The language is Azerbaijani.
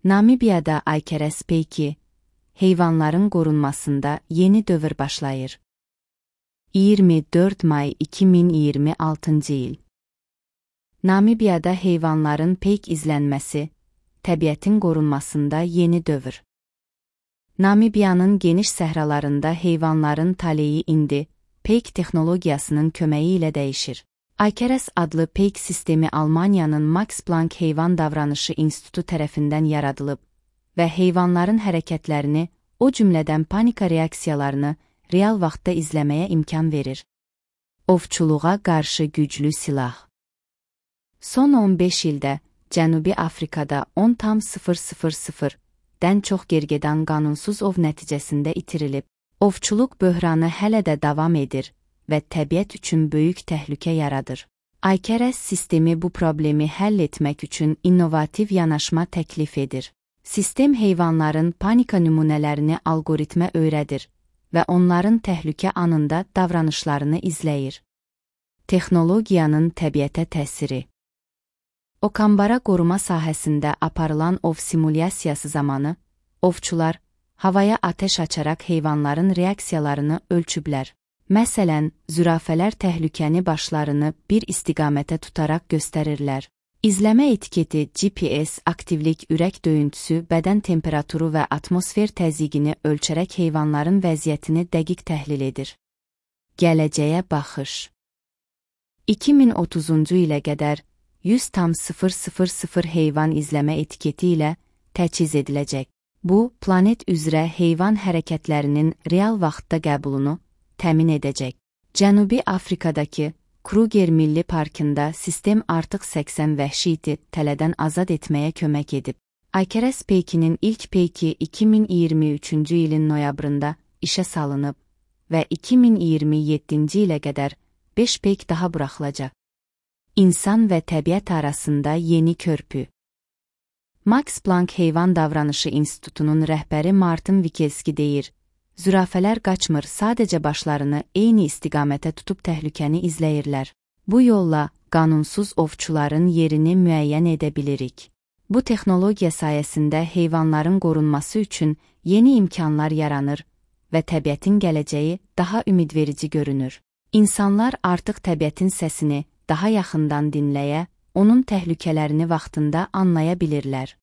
Namibiyada Aykərəs peyki, heyvanların qorunmasında yeni dövr başlayır. 24 may 2026 il. Namibiyada heyvanların peyk izlənməsi, təbiətin qorunmasında yeni dövr. Namibiyanın geniş səhralarında heyvanların taleyi indi peyk texnologiyasının köməyi ilə dəyişir. Aykərəs adlı peyk sistemi Almaniyanın Max Planck Heyvan Davranışı İnstitutu tərəfindən yaradılıb və heyvanların hərəkətlərini, o cümlədən panika reaksiyalarını real vaxtda izləməyə imkan verir. Ovçuluğa qarşı güclü silah. Son 15 ildə Cənubi Afrikada 10,000-dən çox gergedan qanunsuz ov nəticəsində itirilib. Ovçuluq böhranı hələ də davam edir və təbiət üçün böyük təhlükə yaradır. Aykərəs sistemi bu problemi həll etmək üçün innovativ yanaşma təklif edir. Sistem heyvanların panika nümunələrini algoritmə öyrədir və onların təhlükə anında davranışlarını izləyir. Texnologiyanın təbiətə təsiri. Okamara qoruma sahəsində aparılan ov simulyasiyası zamanı, ovçular havaya atəş açaraq heyvanların reaksiyalarını ölçüblər. Məsələn, zürafələr təhlükəni başlarını bir istiqamətə tutaraq göstərirlər. İzləmə etiketi GPS, aktivlik, ürək döyüntüsü, bədən temperaturu və atmosfer təzyiqini ölçərək heyvanların vəziyyətini dəqiq təhlil edir. Gələcəyə baxış. 2030-cu ilə qədər 100,000 heyvan izləmə etiketi ilə təchiz ediləcək. Bu, planet üzrə heyvan hərəkətlərinin real vaxtda qəbulunu təmin edəcək. Cənubi Afrikadakı Kruger Milli Parkında sistem artıq 80 vəhşi iti tələdən azad etməyə kömək edib. Aykərəs peykinin ilk peyki 2023-cü ilin noyabrında işə salınıb və 2027-ci ilə qədər 5 peyk daha buraxılacaq. İnsan və təbiət arasında yeni körpü. Max Planck Heyvan Davranışı İnstitutunun rəhbəri Martin Wikelski deyir, zürafələr qaçmır, sadəcə başlarını eyni istiqamətə tutub təhlükəni izləyirlər. Bu yolla qanunsuz ovçuların yerini müəyyən edə bilirik. Bu texnologiya sayəsində heyvanların qorunması üçün yeni imkanlar yaranır və təbiətin gələcəyi daha ümidverici görünür. İnsanlar artıq təbiətin səsini daha yaxından dinləyə, onun təhlükələrini vaxtında anlaya bilirlər.